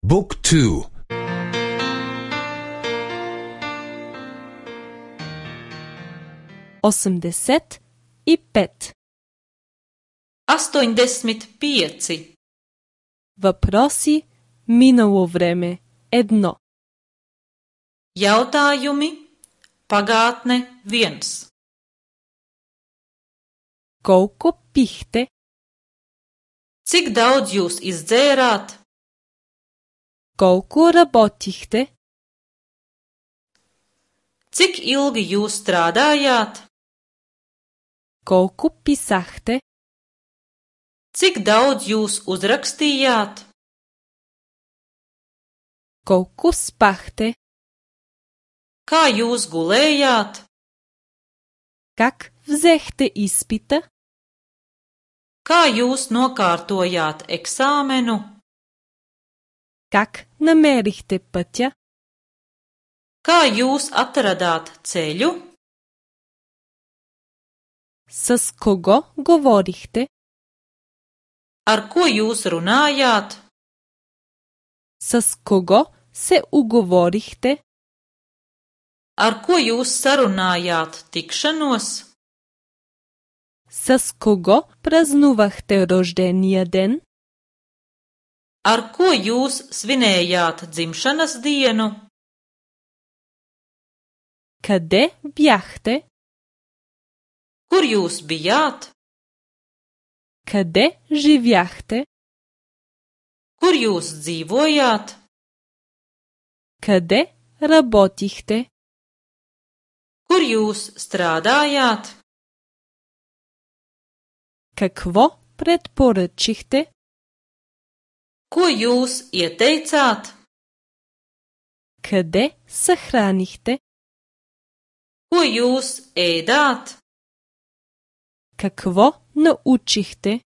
Book 2. 85. 85. Въпроси минало време 1. Jautājumi pagātne 1. Колко пихте? Cik daudz jūs izdzērāt? Колко работихте? Cik ilgi jūs strādājāt? Колко писахте? Cik daudz jūs uzrakstījāt? Колко спахте? Kā jūs gulējāt? Как взехте изпита? Kā jūs nokārtojāt eksāmenu? Как намерихте пътя? Kā jūs atradāt ceļu? С кого говорихте? Ar ko jūs runājāt? С кого се уговорихте? Ar ko jūs sarunājāt tikšanos? С кого празнувахте рождения ден? Ar ko jūs svinējāt dzimšanas dienu? Къде бяхте? Kur jūs bijāt? Къде живяхте? Kur jūs dzīvojāt? Къде работихте? Kur jūs strādājāt? Какво предпоръчихте? Ko jūs ieteicāt? Къде съхранихте? Ko jūs ēdāt? Какво научихте?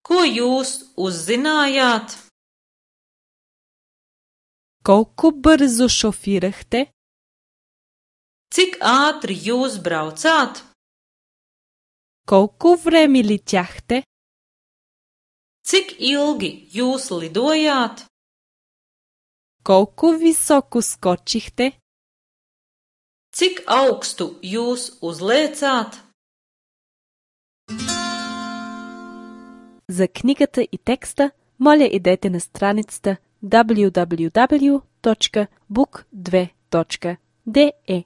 Ko jūs uzzinājāt? Колко бързо шофирахте? Cik ātri jūs braucāt? Колко време летяхте? Cik ilgi jūs lidojāt? Колко високо скочихте? Cik augstu jūs uzlēcāt? За книгата и текста, моля идете на страницата www.book2.de